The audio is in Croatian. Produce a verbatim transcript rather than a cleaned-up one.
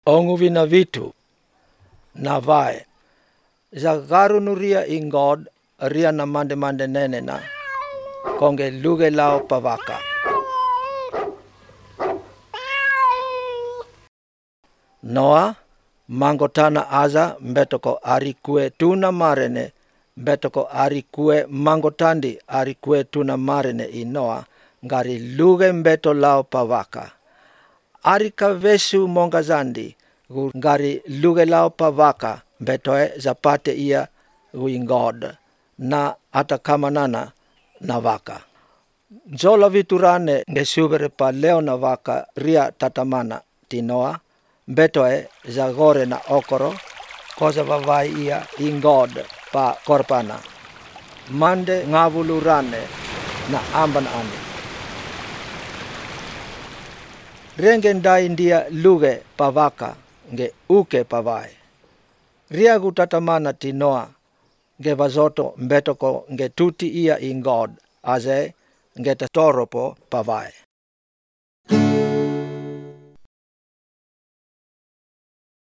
onguvi na vitu na vae za garu nuria ingod ria na mande mande nene na konge luge lao pavaka. Noa mangotana aza mbetoko ari kue tuna marene mbetoko ari kue mangotandi ari kue tuna marene i Noa ngari luge mbeto lao pavaka. Ari kavesu mongazandi ngari luge lao pavaka betoe zapate ia uingod na atakamanana na vaka. Zola viturane ngesubere pa leo na vaka ria tatamana ti Noa betoe zagore na okoro koza vavai ia ingod pa korpana. Mande ngavulurane na amban ane. Rengendai ndia luge pavaka nge uke pavai. Ria gutatamana ti Noa nge vazoto mbetoko nge tuti ia ingod aze nge tatoropo pavai.